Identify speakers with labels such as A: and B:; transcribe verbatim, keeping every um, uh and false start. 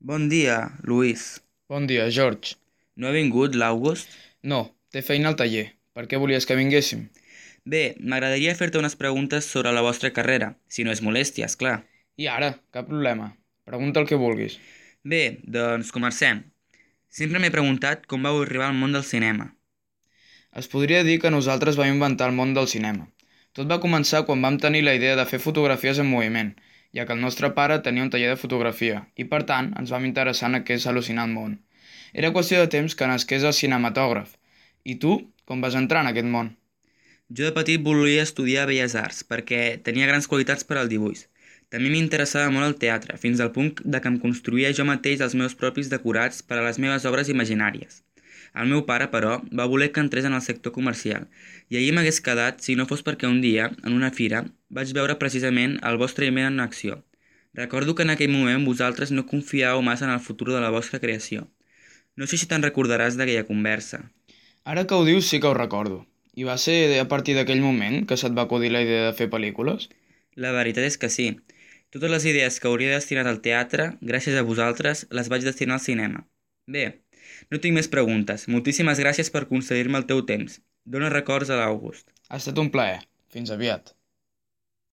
A: Bon dia, Luis.
B: Bon dia, George.
A: No ha vingut l'August?
B: No, té feina al taller. Per què volies que vinguéssim?
A: Bé, m'agradaria fer-te unes preguntes sobre la vostra carrera, si no és molèstia, és clar.
B: I ara, cap problema. Pregunta el que vulguis.
A: Bé, doncs comencem. Sempre m'he preguntat com vau arribar al món del cinema.
B: Es podria dir que nosaltres vam inventar el món del cinema. Tot va començar quan vam tenir la idea de fer fotografies en moviment, ja que el nostre pare tenia un taller de fotografia, i per tant ens vam interessar en aquest al·lucinant món. Era qüestió de temps que nasqués el cinematògraf. I tu, com vas entrar en aquest món?
A: Jo de petit volia estudiar Belles Arts perquè tenia grans qualitats per al dibuix. També m'interessava molt el teatre, fins al punt de que em construïa jo mateix els meus propis decorats per a les meves obres imaginàries. El meu pare, però, va voler que entrés en el sector comercial, i allí m'hagués quedat si no fos perquè un dia, en una fira, vaig veure precisament el vostre email en acció. Recordo que en aquell moment vosaltres no confiàveu massa en el futur de la vostra creació. No sé si te'n recordaràs d'aquella conversa.
B: Ara que ho dius sí que ho recordo. I va ser a partir d'aquell moment que se't va acudir la idea de fer pel·lícules?
A: La veritat és que sí. Totes les idees que hauria destinat al teatre, gràcies a vosaltres, les vaig destinar al cinema. Bé, no tinc més preguntes. Moltíssimes gràcies per concedir-me el teu temps. Dóna records a l'August.
B: Ha estat un plaer. Fins aviat.